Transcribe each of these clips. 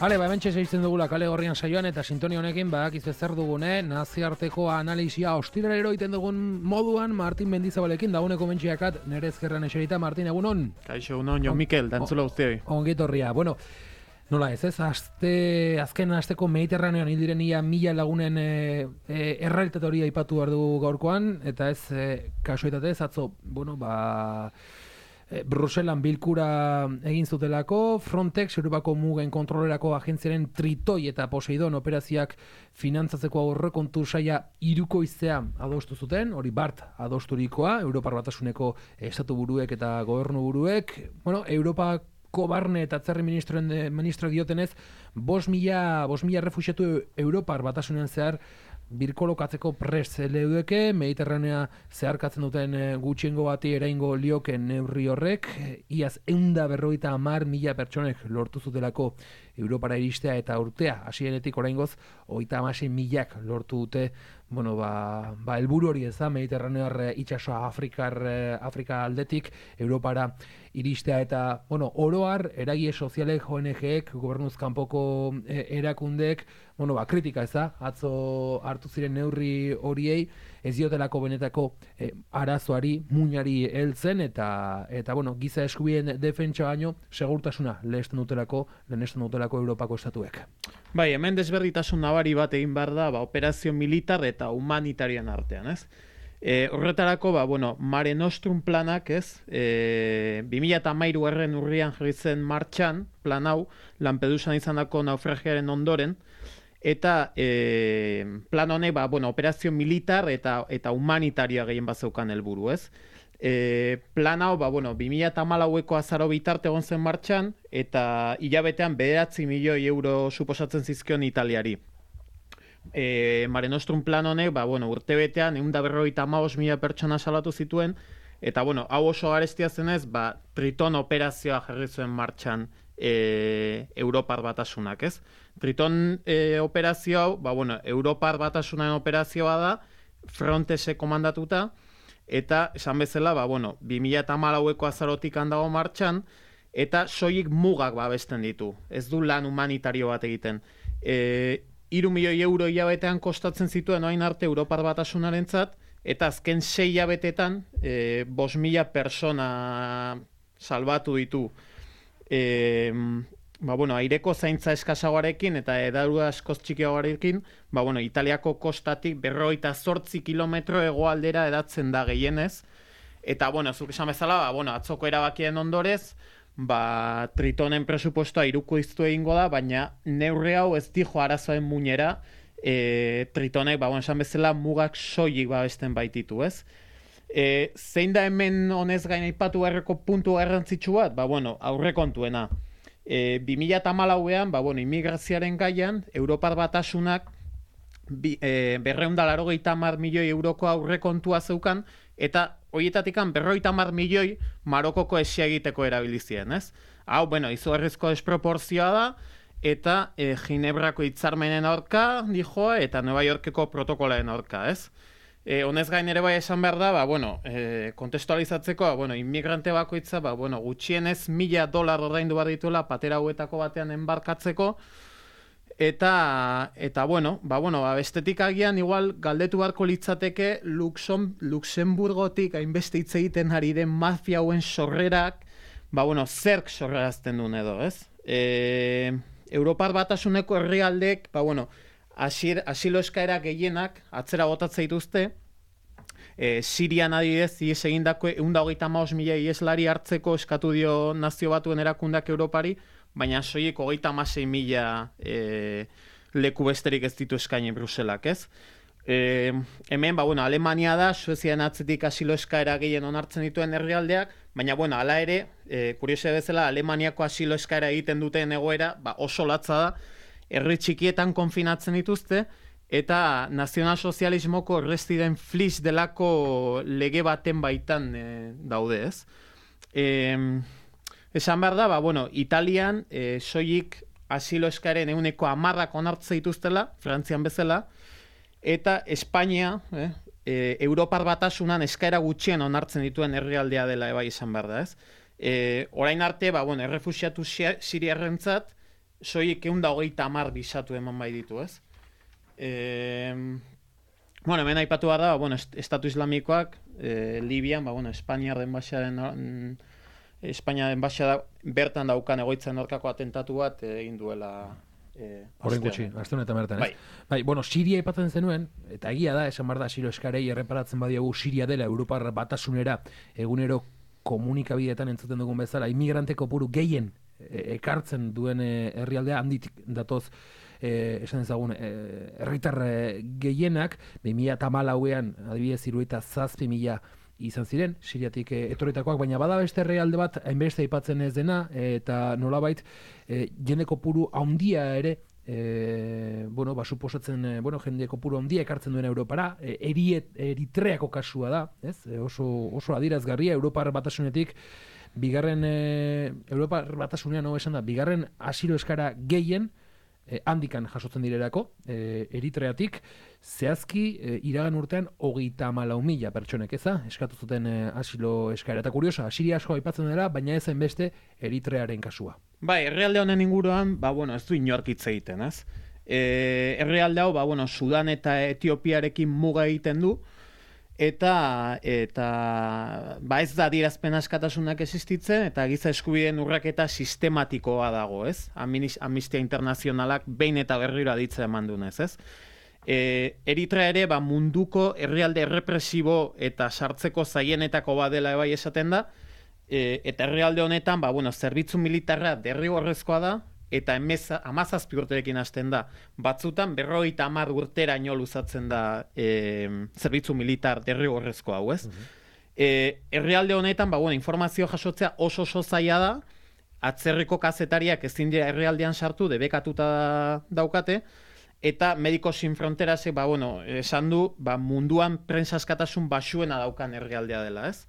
Hementxe segitzen dugula kale gorrian saioan eta sintonia honekin badakizu zer dugune, naziarteko analisia ostiralero egiten dugun moduan Martin Mendizabalekin dagoeneko mentxiakat nere ezkerran eserita. Martin, egunon? Kaixo, egunon, Jon Mikel, dantzula guztioi. Ongitorria. Bueno, nola ez, azken asteko Mediterraneoan hil diren ia 1000 lagunen errealitate hori aipatu behar dugu gaurkoan, eta ez kasualitatez, atzo, Bruselan bilkura egin zutelako, Frontex, Europako mugen kontrolerako agentziaren Tritoi eta Poseidon operazioak finantzatzeko aurrekontu saia hirukoiztea adostu zuten, hori bart adosturikoa, Europar Batasuneko estatu buruek eta gobernu buruek, Europako barne eta atzerri ministro diotenez, 5.000 refuxiatu Europar Batasunean zehar birkolokatzeko prest leudeke, Mediterranea zeharkatzen duten gutxiengo bati eraingo lioke neurri horrek, iaz 150.000 pertsonek lortu zutelako Europara iristea eta urtea, hasieretik oraingoz 36.000 lortu dute, helburu hori ez da, Mediterranear itsasoa Afrika aldetik Europara iristea eta, oroar, eragile sozialek, ONG-ek, gobernuz kanpoko erakundeek, kritika ez da, atzo hartu ziren neurri horiei, ez diotelako benetako arazoari, muinari heltzen, eta giza eskubideen defentsa baino, segurtasuna lehesten dutelako Europako estatuek. Bai, hemen desberditasun nabari bat egin behar da, operazio militar eta humanitarian artean, ez? Horretarako, Mare Nostrum planak, ez? 2013 urrian jarri zen martxan, plan hau, Lampedusan izandako naufragiaren ondoren, eta plan honek, operazio militar eta humanitarioa gehien bazeukan helburu, ez? Plan hau, 2014ko azaro bitarte egon zen martxan, eta hilabetean 9 milioi euro suposatzen zizkion Italiari. Mare Nostrum plan honek, urtebetean 155.000 pertsona salatu zituen, eta hau oso garestia zenez, Triton operazioa jarri zuen martxan Europar Batasunak, ez? Triton operazio hau, Europar Batasunaren operazioa da, Frontexek komandatuta, eta esan bezala, 2014ko azarotik handago martxan, eta soilik mugak babesten ditu. Ez du lan humanitario bat egiten. 3 milioi euro hilabetean kostatzen zituen orain arte Europar Batasunarentzat, eta azken 6 hilabetetan 5.000 persona salbatu ditu. Aireko zaintza eskasagoarekin eta edaru askoz txikiagoarekin, Italiako kostatik 58 kilometro hegoaldera edatzen da gehienez. Eta, zuk esan bezala, atzoko erabakien ondorez, Tritonen presupuestoa hirukoiztu egingo da, baina neurri hau ez dijo arazoen muinera, Tritonek, esan bezala, mugak soilik babesten baititu, ez? Zein da hemen honez gain aipatu beharreko puntu garrantzitsu bat? Aurrekontuena. 2014an, immigrazioaren gaian, Europar Batasunak 280 milioi euroko aurrekontua zeukan, eta horietatik 50 milioi Marokoko esia egiteko erabilizien, ez? Hau, izugarrizko desproporzioa da, eta Ginebrako hitzarmenen aurka, dijoa, eta Nueva Yorkeko protokolaren aurka, ez? Honez gain ere bai esan behar da, kontestualizatzeko, inmigrante bakoitza, gutxienez $1.000 ordaindu behar dituela patera hauetako batean enbarkatzeko, eta bestetik agian igual galdetu beharko litzateke Luxemburgotik hainbeste hitz egiten ari den mafia hauen sorrerak, zerk sorrerazten duen edo, ez? Europar Batasuneko herrialdek, asilo eskaera gehienak atzera botatzen dituzte, Sirian adibidez ihes egindako 135.000 iheslari hartzeko eskatu dio Nazio Batuen erakundeak Europari, baina soilik 36.000 leku besterik ez ditu eskaini Bruselak, ez? Hemen, Alemania da, Suezian atzetik asilo eskaera gehien onartzen dituen herrialdeak, baina, hala ere, kuriosia bezala, Alemaniako asilo eskaera egiten duten egoera, oso latza da, herri txikietan konfinatzen dituzte, eta nazionalsozialismoko errestiden flis delako lege baten baitan daude, ez? Esan behar da, Italian soilik asilo eskaeren 10% onartzen dituztela, Frantzian bezala, eta Espainia, Europar Batasunan eskaera gutxien onartzen dituen herrialdea dela ebai esan behar da, ez? Orain arte, errefuxiatu siriarrentzat, soilik 130 bisatu eman bai ditu, ez? Bueno, hemen aipatu behar da, bueno, Estatu Islamikoak, Libian, Espainiaren enbaxada bertan daukan egoitzen aurkako atentatu bat egin duela horren gutxi, aste honetan bertan, ez? Bai. Bai, bueno, Siria aipatzen zenuen, eta egia da, esan behar da, Siro eskarei erreparatzen badiagu Siria dela Europar Batasunera egunero komunikabideetan entzuten dugun bezala, inmigrante kopuru gehien ekartzen duen herrialdea handitik datoz esan ezagun herritar gehienak 2014ean adibidez 77.000 izan ziren Siriatik etorritakoak, baina bada beste herrialde bat hainbeste aipatzen ez dena eta nolabait jende kopuru handia ere suposatzen jende kopuru handia ekartzen duen Europara, Eritreako kasua da, ez? Oso adierazgarria Europar Batasunetik bigarren Europar Batasunean esan da, bigarren asilo eskara gehien handikan jasotzen direlako, Eritreatik, zehazki iragan urtean 34.000 pertsonek eskatu zuten asilo eskara. Eta kuriosa, Siria asko aipatzen dela, baina ez beste Eritrearen kasua. Bai, herrialde honen inguruan, ez du inork hitz egiten, ez? Herrialde hau, Sudan eta Etiopiarekin muga egiten du, eta ez da adierazpen askatasunak existitzen, eta giza eskubideen urraketa sistematikoa dago, ez? Amnistia Internazionalak behin eta berriro aditzea eman dunez, ez? Eritrea ere munduko herrialde errepresibo eta sartzeko zaienetako badela bai esaten da, eta herrialde honetan, zerbitzu militarra derrigorrezkoa da, eta 17 urterekin hasten da. Batzutan 50 urteraino luzatzen da zerbitzu militar derrigorrezko hau, ez? Herrialde honetan, informazio jasotzea oso zaila da, atzerriko kazetariak ezin dira herrialdean sartu, debekatuta daukate, eta Medicos Sin Fronterasek, esan du, munduan prensa askatasun baxuena daukan herrialdea dela, ez?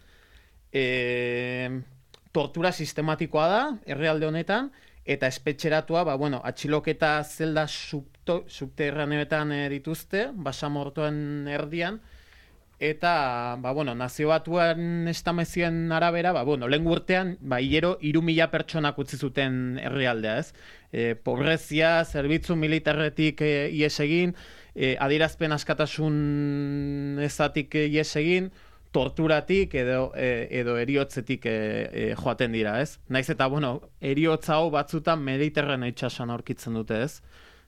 Tortura sistematikoa da herrialde honetan, eta espetxeratua, atxiloketa zelda subterraneoetan dituzte, basamortoen erdian, eta, Nazio Batuen estamezioen arabera, lehen urtean, hilero 3.000 pertsonak utzi zuten herrialdea, ez? Pobrezia, zerbitzu militarretik ies egin, adierazpen askatasun ezatik ies egin, torturatik edo eriotzetik joaten dira, ez? Naiz eta, eriotza hau batzutan Mediterraneo itsasoan aurkitzen dute, ez?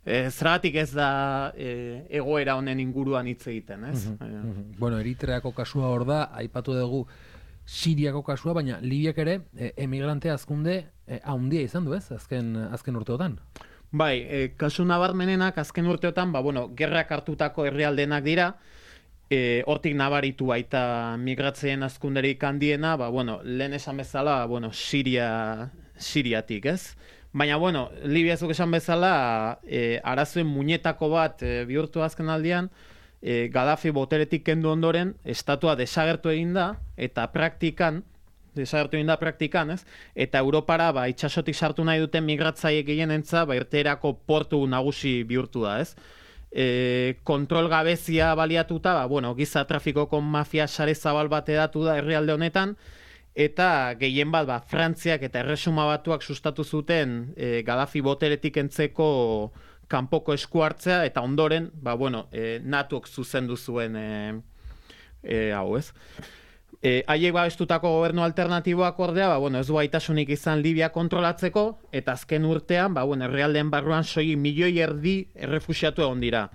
Zergatik ez da egoera honen inguruan hitz egiten, ez? Eritreako kasua hor da, aipatu dugu Siriako kasua, baina Libiak ere emigrante hazkunde handia izan du, ez? Azken urteotan. Bai, kasu nabarmenenak azken urteotan, gerrak hartutako herrialdenak dira, hortik nabaritu baita migratzeen hazkunderik handiena, lehen esan bezala, Siriatik, ez? Baina, Libia zuk esan bezala, arazoen muñetako bat bihurtu azken aldian, Gaddafi boteretik kendu ondoren, estatua desagertu egin da, eta praktikan, ez? Eta Europara, itxasotik sartu nahi duten migratzaiek gehienentza, irteerako portu nagusi bihurtu da, ez? Kontrol gabezia baliatuta, giza trafikoko mafia sare zabal bat edatu da herrialde honetan, eta gehien bat, Frantziak eta Erresuma Batuak sustatu zuten Gaddafi boteretik entzeko kanpoko esku hartzea, eta ondoren, NATOk zuzendu zuen hau, ez? Haiek babestutako gobernu alternatiboak ordea, ez du gaitasunik izan Libia kontrolatzeko, eta azken urtean, herrialdeen barruan 1,5 milioi errefuxiatu egon dira.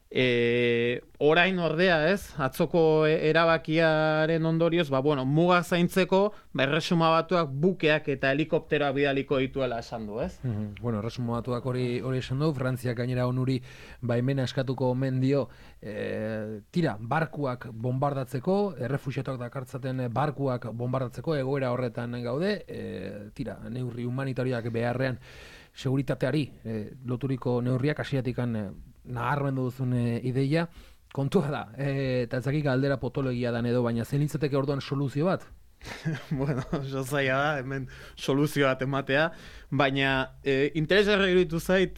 Orain ordea, ez? Atzoko erabakiaren ondorioz, muga zaintzeko, Erresuma Batuak bukeak eta helikopteroak bidaliko dituela esan du, ez? Erresuma Batuak hori esan du, Frantziak gainera onuri baimena eskatuko omen dio, barkuak bombardatzeko, errefuxiatuak dakartzaten barkuak bombardatzeko, egoera horretan gaude, neurri humanitarioak beharrean seguritateari loturiko neurriak hasieratik nabarmendu duzun ideia, kontua da, eta ezakik galdera potologia dan edo, baina zen litzateke orduan soluzio bat? Oso zaila da, hemen soluzio bat ematea, baina interesgarri iruditu zait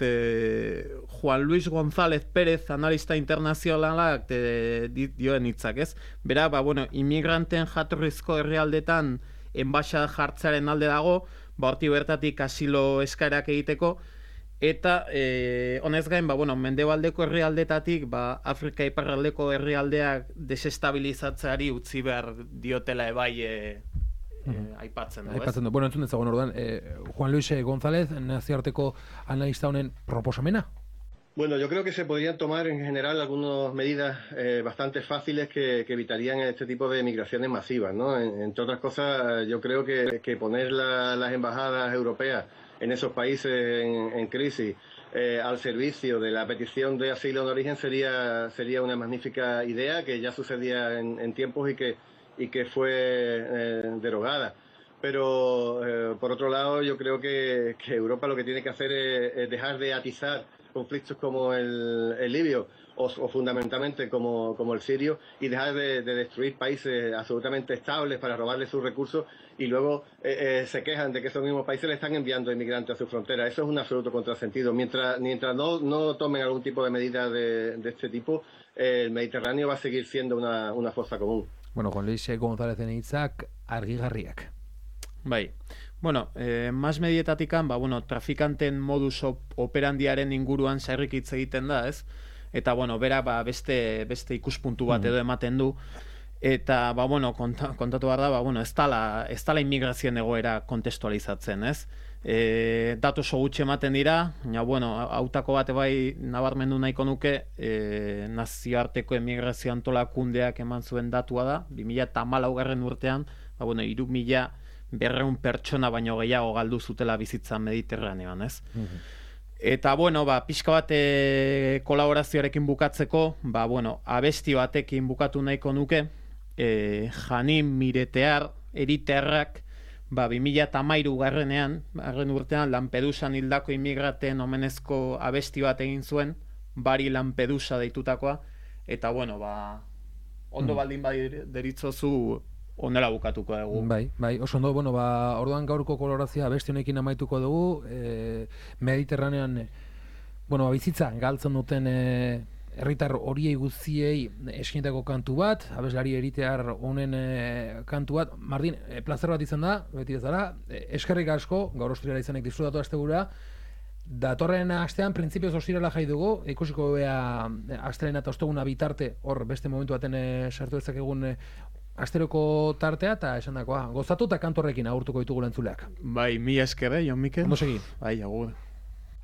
Juan Luis González Pérez, analista internazionalak dioen hitzak, ez? Bera, inmigranten jatorrizko herrialdetan enbaxada jartzearen alde dago, horti bertatik asilo eskaerak egiteko, Eta honez gain, mendebaldeko herrialdetatik, Afrika iparraldeko herrialdeak desestabilizatzeari utzi behar diotela ebai aipatzen du, aipatzen du. Bueno, entzun dezagun orduan, Juan Luis González, nazioarteko analista honen proposamena? Bueno, yo creo que se podrían tomar en general algunas medidas bastante fáciles que evitarían este tipo de migraciones masivas, ¿no? Entre otras cosas, yo creo que poner las embajadas europeas en esos países en crisis al servicio de la petición de asilo de origen sería una magnífica idea que ya sucedía en tiempos y que fue derogada. Pero por otro lado, yo creo que Europa lo que tiene que hacer es dejar de atizar conflictos como el libio o fundamentalmente como el sirio y dejar de destruir países absolutamente estables para robarles sus recursos y luego se quejan de que esos mismos países le están enviando inmigrantes a su frontera. Eso es un absoluto contrasentido. Mientras no tomen algún tipo de medida de este tipo, el Mediterráneo va a seguir siendo una fosa común. Bueno, Juan Luis González hitzak argigarriak. Bai. Bueno, mas medietatikan, trafikanten modus operandiaren inguruan sarrik hitz egiten da, ez? Eta, bera, beste ikuspuntu bat edo ematen du. Eta, kontatu behar da, ez dala inmigrazioen egoera kontestualizatzen, ez? Datu oso gutxi ematen dira, hautako bat bai nabarmendu nahiko nuke, nazioarteko emigrazio antolakundeak eman zuen datua da, 2014 urtean, 3.200 pertsona baino gehiago galdu zutela bizitza Mediterraneoan, ez? Eta, pixka bat kolaborazioarekin bukatzeko, abesti batekin bukatu nahiko nuke, Janin Miretear, eriterrak, 2013 garren urtean Lampedusan hildako immigraten omenezko abesti bat egin zuen, Bari Lampedusa deitutakoa, eta, ondo baldin deritzozu onela bukatuko dugu. Bai, oso ondo, orduan gaurko kolorazioa abesti honekin amaituko dugu, Mediterranean, bizitza galtzen duten herritar horiei guztiei eskinetako kantu bat, abeslari eritear honen kantu bat. Martin, plazer bat izan da, beti bezala, eskerrik asko, gaur ostirala izanek disfrutatu astegura, datorren astean, printzipioz ostirala jai dugu, ikusiko bea astelena eta osteguna bitarte, hor beste momentu baten sartu ezakegun asteroko tartea, eta esan dakoa, gozatu eta kantorrekin agurtuko ditugu lentzuleak. Bai, mi esker, Jon Mikel. Ondo segi. Bai, agur.